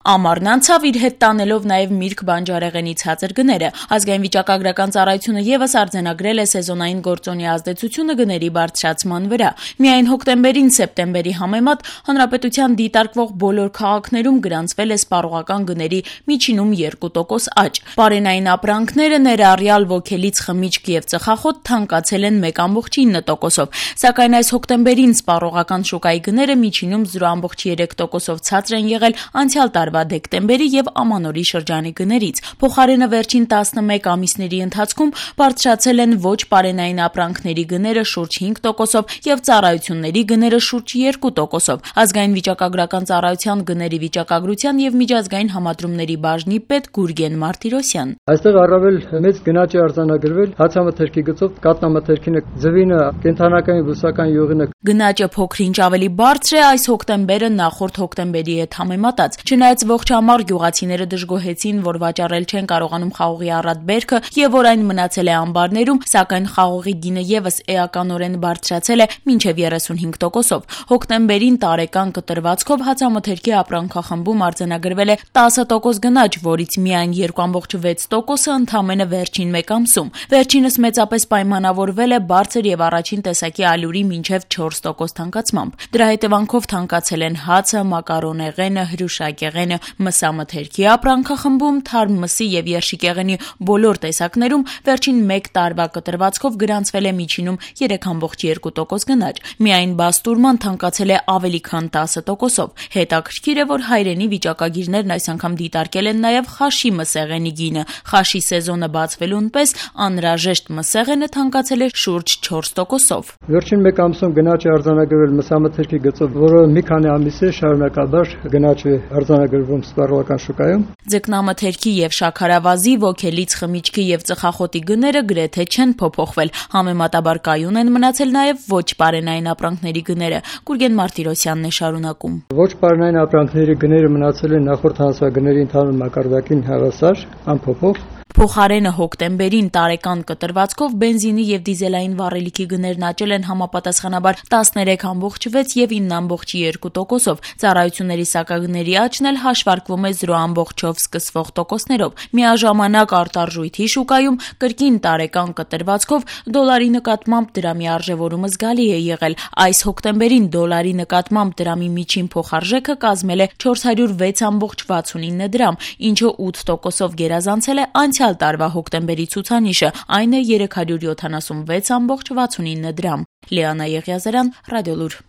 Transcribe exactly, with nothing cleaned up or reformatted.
Ամառն անցավ իր հետ տանելով նաև Միրգ բանջարեղենի ցածր գները։ Ազգային վիճակագրական ծառայությունը եւս արձանագրել է սեզոնային գործոնի ազդեցությունը գների բարձրացման վրա։ Միայն հոկտեմբերին սեպտեմբերի համեմատ հանրապետության դիտարկվող բոլոր քաղաքներում գրանցվել է սպառողական գների միջինում երկու տոկոս աճ։ Պարենային ապրանքները ներառյալ ոգելից խմիչք եւ ծխախոտ թանկացել են մեկ կόμքեր ինը տոկոսով, սակայն այս հոկտեմբերին սպառողական շուկայի գները միջինում զրո կόμքեր երեք տոկոսով ցածր են եղել անցյալ տարվա դեկտեմբերի եւ ամանորի շրջանի գներից։ Փոխարենը վերջին տասնմեկ ամիսների ընթացքում բարձրացել են ոչ պարենային ապրանքների գները շուրջ հինգ տոկոսով եւ ծառայությունների գները շուրջ երկու տոկոսով։ Ազգային վիճակագրական ծառայության գների վիճակագրության եւ միջազգային համադրումների բաժնի պետ Գուրգեն Մարտիրոսյան։ Այստեղ առավել մեծ գնաճ է արձանագրվել հացամթերքի գծով, կատնամթերքինը, ձվինը, կենթանական եւ բուսական յուղինը։ Գնաճը փոքր-ինչ ավելի բարձր է այս հոկտեմբերը նախորդ հոկտեմբերի հետ համեմատած։ Չնայած ողջ ամառ գյուղացիները դժգոհեցին, որ վաճառել չեն կարողանում խաղողի առատ բերքը եւ որ այն մնացել է ամբարներում, սակայն խաղողի գինը եւս էականորեն բարձրացել է մինչեւ երեսունհինգ տոկոսով։ Հոկտեմբերին տարեկան կտրվածքով հացամթերքի ապրանքախմբում արձանագրվել է տասը տոկոս գնաճ, որից միայն երկու կόμքեր վեց տոկոսը ընդամենը վերջին մեկ ամսում։ Վերջինս մեծապես պայմանավորվել է բարձր եւ առաջին տեսակի ալյուրի մինչեւ չորս տոկոս թանկացմամբ։ Դրա հետևանքով թանկացել են հացը, մակարոնեղենը, հրուշակեղենը, մսամթերքի ապրանքախմբում, թարմ մսի եւ երշիկեղենի բոլոր տեսակներում վերջին մեկ տարվա կտրվածքով գրանցվել է միջինում երեք կόμքեր երկու տոկոս գնաճ։ Միայն բաստուրման թանկացել է ավելի քան տասը տոկոսով։ Հետաքրքիր է, որ հայրենի վիճակագիրներն այս անգամ դիտարկել են նաեւ խաշի մսեղենի գինը։ Խաշի սեզոնը բացվելուն պես անհրաժեշտ մսեղենը թանկացել է շուրջ չորս տոկոսով։ Վերջին մեկ ամսում գնաճ է արձանագրվել մսամթերքի գծով, որը մի քանի ամիս է շարունակաբար գնաճ է արձանագրվում սպառողական շուկայում։ Ձկնամթերքի եւ շաքարավազի, ոգելից խմիչքի եւ ծխախոտի գները գրեթե չեն փոփոխվել։ Համեմատաբար կայուն են մնացել նաեւ ոչ պարենային ապրանքների գները։ Գուրգեն Մարտիրոսյանն է շարունակում։ Ոչ պարենային ապրանքների գները մնացել են նախորդ հանրացվագների ընդհանուր մակարդակին հավասար, անփոփոխ։ Փոխարենը հոկտեմբերին տարեկան կտրվածքով բենզինի եւ դիզելային վառելիքի գներն աճել են համապատասխանաբար տասներեք կόμքեր վեց եւ ինը կόμքեր երկու տոկոսով։ Ծառայությունների սակագների աճն էլ հաշվարկվում է զրո կόμքերով սկսվող տոկոսներով։ Միաժամանակ արտարժույթի շուկայում կրկին տարեկան կտրվածքով դոլարի նկատմամբ դրամի արժեվորումը զգալի է եղել։ Այս հոկտեմբերին դոլարի նկատմամբ դրամի միջին փոխարժեքը կազմել է չորս հարյուր վեց կόμքեր վաթսունինը դրամ, ինչը ութ տոկոսով գերազանցել է անցյալ տարվա հոկտեմբերի ցուցանիշը, այն է երեք հարյուր յոթանասունվեց կόμքեր վաթսունինը դրամ։ Լիանա Եղիազարյան, Ռադիոլուր։